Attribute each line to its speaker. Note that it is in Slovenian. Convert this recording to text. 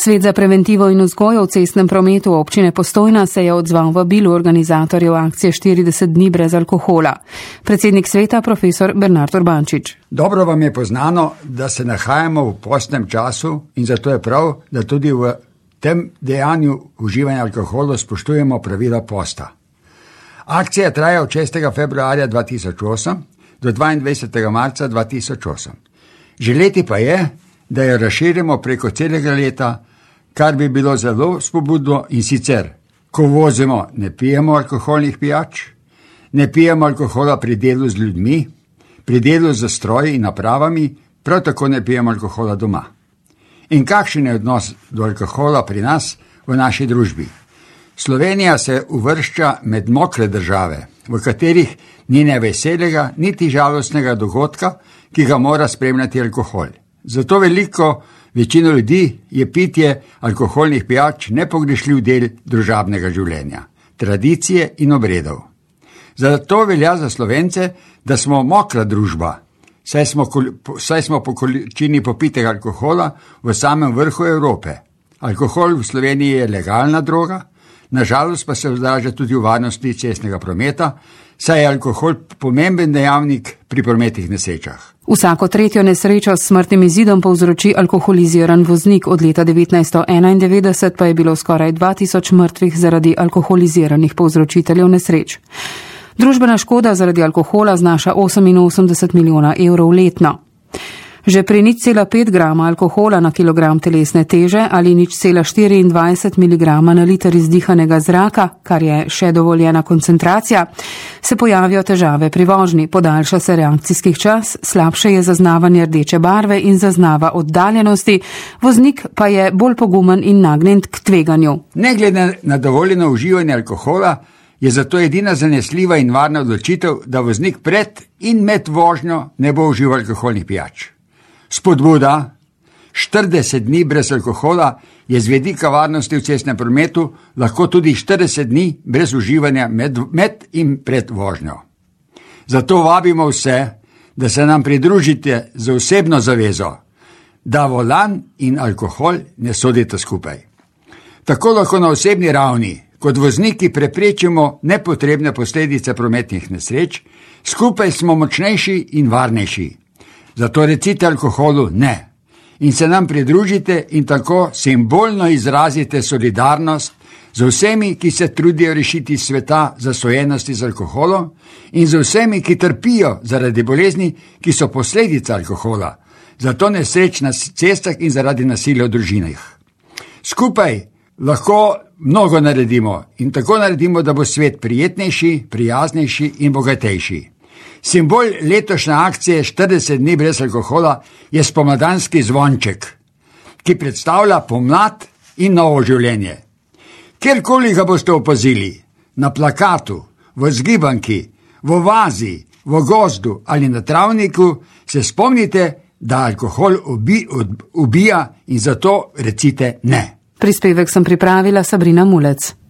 Speaker 1: Svet za preventivo in vzgojo v cestnem prometu občine Postojna se je odzval vabilu organizatorjev akcije 40 dni brez alkohola. Predsednik sveta profesor Bernard Urbančič.
Speaker 2: Dobro vam je poznano, da se nahajamo v postnem času in zato je prav, da tudi v tem dejanju uživanja alkohola spoštujemo pravila posta. Akcija traja od 6. februarja 2008 do 22. marca 2008. Želeti pa je, da jo razširimo preko celega leta, kar bi bilo zelo spodbudno, in sicer, ko vozimo, ne pijemo alkoholnih pijač, ne pijemo alkohola pri delu z ljudmi, pri delu z stroji in napravami, prav tako ne pijemo alkohola doma. In kakšen je odnos do alkohola pri nas v naši družbi? Slovenija se uvršča med mokre države, v katerih ni ne veselega, niti žalostnega dogodka, ki ga mora spremljati alkohol. Zato večino ljudi je pitje alkoholnih pijač nepogrešljiv del družabnega življenja, tradicije in obredov. Zato velja za Slovence, da smo mokra družba, saj smo po količini popitega alkohola v samem vrhu Evrope. Alkohol v Sloveniji je legalna droga, nažalost pa se odraža tudi v varnosti cestnega prometa, saj je alkohol pomemben dejavnik pri prometnih nesrečah.
Speaker 1: Vsako tretjo nesrečo s smrtnim izidom povzroči alkoholiziran voznik, od leta 1991 pa je bilo skoraj 2000 mrtvih zaradi alkoholiziranih povzročiteljev nesreč. Družbena škoda zaradi alkohola znaša 88 milijona evrov letno. Že pri 0,5 grama alkohola na kilogram telesne teže ali 0,24 miligrama na liter izdihanega zraka, kar je še dovoljena koncentracija, se pojavijo težave pri vožnji, podaljša se reakcijski čas, slabše je zaznavanje rdeče barve in zaznava oddaljenosti, voznik pa je bolj pogumen in nagnjen k tveganju.
Speaker 2: Ne glede na dovoljeno uživanje alkohola, je zato edina zanesljiva in varna odločitev, da voznik pred in med vožnjo ne bo užival alkoholnih pijač. Spodbuda 40 dni brez alkohola je z vidika varnosti v cestnem prometu lahko tudi 40 dni brez uživanja med in pred vožnjo. Zato vabimo vse, da se nam pridružite z osebno zavezo, da volan in alkohol ne sodita skupaj. Tako lahko na osebni ravni kot vozniki preprečimo nepotrebne posledice prometnih nesreč, skupaj smo močnejši in varnejši. Zato recite alkoholu ne in se nam pridružite in tako simbolno izrazite solidarnost z vsemi, ki se trudijo rešiti sveta zasvojenosti z alkoholom, in z vsemi, ki trpijo zaradi bolezni, ki so posledica alkohola, zato nesreč na cestah in zaradi nasilja v družinah. Skupaj lahko mnogo naredimo in tako naredimo, da bo svet prijetnejši, prijaznejši in bogatejši. Simbol letošnje akcije 40 dni brez alkohola je spomladanski zvonček, ki predstavlja pomlad in novo življenje. Kjerkoli ga boste opazili, na plakatu, v zgibanki, v vazi, v gozdu ali na travniku, se spomnite, da alkohol ubija in zato recite ne.
Speaker 1: Prispevek sem pripravila Sabrina Mulec.